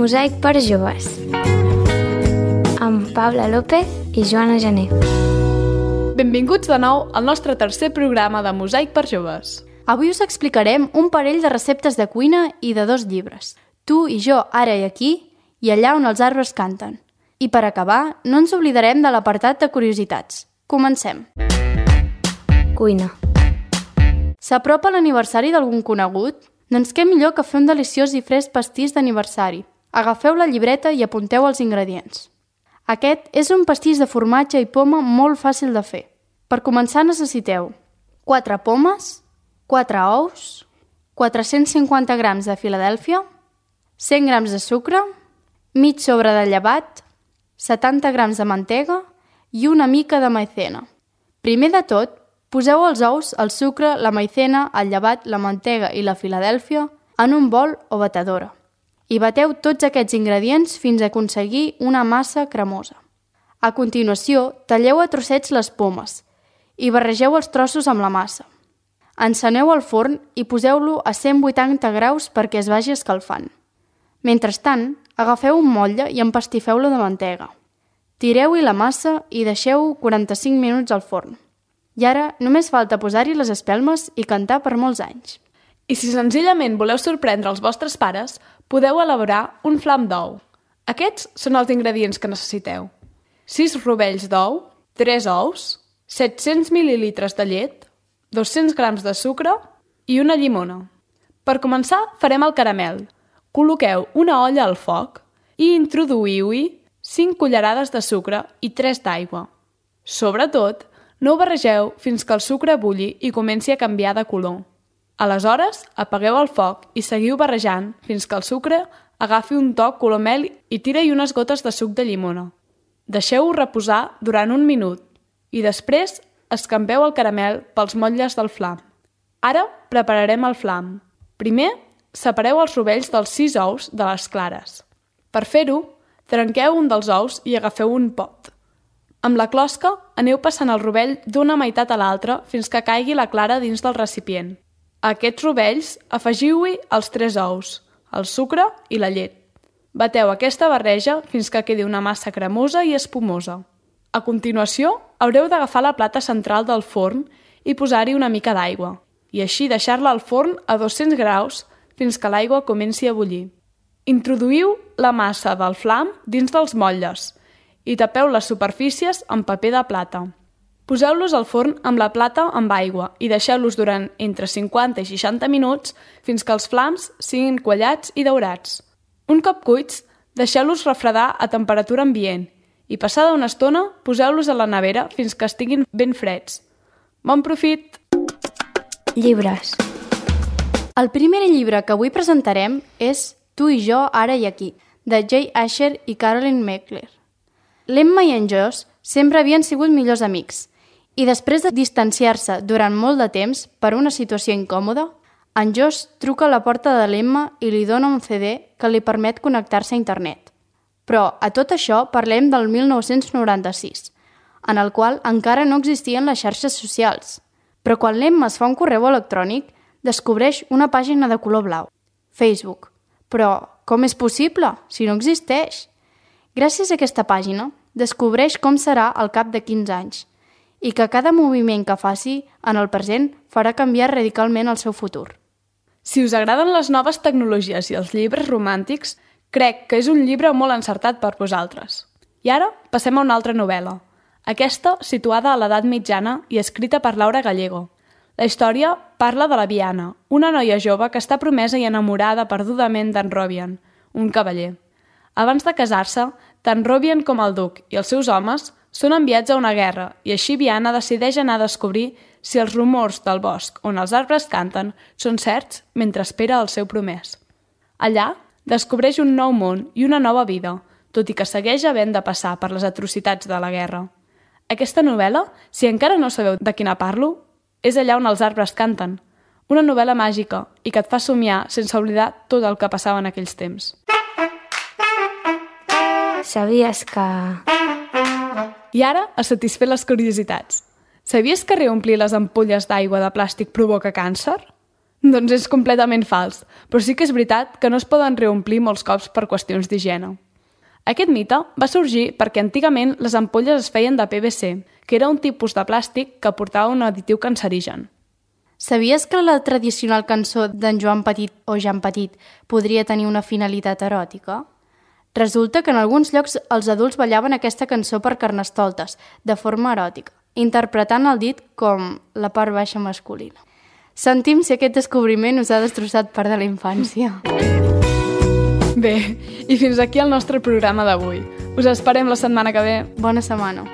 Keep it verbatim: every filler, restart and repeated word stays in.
Mosaic per joves, amb Paula López i Joana Gené. Benvinguts de nou al nostre tercer programa de Mosaic per joves. Avui us explicarem un parell de receptes de cuina i de dos llibres. Tu i jo, ara i aquí, i allà on els arbres canten. I per acabar, no ens oblidarem de l'apartat de curiositats. Comencem. Cuina. S'apropa l'aniversari d'algun conegut? Doncs què millor que fer un deliciós i fresc pastís d'aniversari. Agafeu la llibreta i apunteu els ingredients. Aquest és un pastís de formatge i poma molt fàcil de fer. Per començar necessiteu quatre pomes, quatre ous, quatre-cents cinquanta grams de Filadèlfia, cent grams de sucre, mig sobre de llevat, setanta grams de mantega i una mica de maizena. Primer de tot, poseu els ous, el sucre, la maizena, el llevat, la mantega i la Filadèlfia en un bol o batedora i bateu tots aquests ingredients fins a aconseguir una massa cremosa. A continuació, talleu a trossets les pomes i barregeu els trossos amb la massa. Enceneu el forn i poseu-lo a cent vuitanta graus perquè es vagi escalfant. Mentrestant, agafeu un motlle i empastifeu-lo de mantega. Tireu-hi la massa i deixeu quaranta-cinc minuts al forn. I ara només falta posar-hi les espelmes i cantar per molts anys. I si senzillament voleu sorprendre els vostres pares, podeu elaborar un flam d'ou. Aquests són els ingredients que necessiteu. sis rovells d'ou, tres ous, set-cents mil·lilitres de llet, dos-cents grams de sucre i una llimona. Per començar, farem el caramel. Col·loqueu una olla al foc i introduïu-hi cinc cullerades de sucre i tres d'aigua. Sobretot, no ho barregeu fins que el sucre bulli i comenci a canviar de color. Aleshores, apagueu el foc i seguiu barrejant fins que el sucre agafi un toc color mel i tira-hi unes gotes de suc de llimona. Deixeu-ho reposar durant un minut i després escampeu el caramel pels motlles del flam. Ara prepararem el flam. Primer, separeu els rovells dels sis ous de les clares. Per fer-ho, trenqueu un dels ous i agafeu un pot. Amb la closca, aneu passant el rovell d'una meitat a l'altra fins que caigui la clara dins del recipient. A aquests rovells afegiu-hi els tres ous, el sucre i la llet. Bateu aquesta barreja fins que quedi una massa cremosa i espumosa. A continuació, haureu d'agafar la plata central del forn i posar-hi una mica d'aigua, i així deixar-la al forn a dos-cents graus fins que l'aigua comenci a bullir. Introduïu la massa del flam dins dels motlles i tapeu les superfícies amb paper de plata. Poseu-los al forn amb la plata amb aigua i deixeu-los durant entre cinquanta i seixanta minuts fins que els flams siguin quallats i daurats. Un cop cuits, deixeu-los refredar a temperatura ambient i passada una estona poseu-los a la nevera fins que estiguin ben freds. Bon profit! Llibres. El primer llibre que avui presentarem és Tu i jo, ara i aquí, de Jay Asher i Carolyn Meckler. L'Emma i en Josh sempre havien sigut millors amics i després de distanciar-se durant molt de temps per una situació incòmoda, en Josh truca a la porta de l'Emma i li dona un ce de que li permet connectar-se a internet. Però a tot això parlem del mil nou-cents noranta-sis, en el qual encara no existien les xarxes socials. Però quan l'Emma es fa un correu electrònic, descobreix una pàgina de color blau, Facebook. Però com és possible, si no existeix? Gràcies a aquesta pàgina, descobreix com serà al cap de quinze anys i que cada moviment que faci en el present farà canviar radicalment el seu futur. Si us agraden les noves tecnologies i els llibres romàntics, crec que és un llibre molt encertat per vosaltres. I ara passem a una altra novel·la, aquesta situada a l'edat mitjana i escrita per Laura Gallego. La història parla de la Viana, una noia jove que està promesa i enamorada perdudament d'en Robian, un cavaller. Abans de casar-se, tant Robian com el duc i els seus homes són enviats a una guerra i així Viana decideix anar a descobrir si els rumors del bosc on els arbres canten són certs mentre espera el seu promès. Allà descobreix un nou món i una nova vida, tot i que segueix havent de passar per les atrocitats de la guerra. Aquesta novel·la, si encara no sabeu de quina parlo, és allà on els arbres canten, una novel·la màgica i que et fa somiar sense oblidar tot el que passava en aquells temps. Sabies que... I ara, a satisfer les curiositats. Sabies que reomplir les ampolles d'aigua de plàstic provoca càncer? Doncs és completament fals, però sí que és veritat que no es poden reomplir molts cops per qüestions d'higiene. Aquest mite va sorgir perquè antigament les ampolles es feien de P V C, que era un tipus de plàstic que portava un additiu cancerigen. Sabies que la tradicional cançó d'en Joan Petit o Jan Petit podria tenir una finalitat eròtica? Resulta que en alguns llocs els adults ballaven aquesta cançó per carnestoltes, de forma eròtica, interpretant el dit com la part baixa masculina. Sentim si aquest descobriment us ha destrossat part de la infància. Bé, i fins aquí el nostre programa d'avui. Us esperem la setmana que ve. Bona setmana.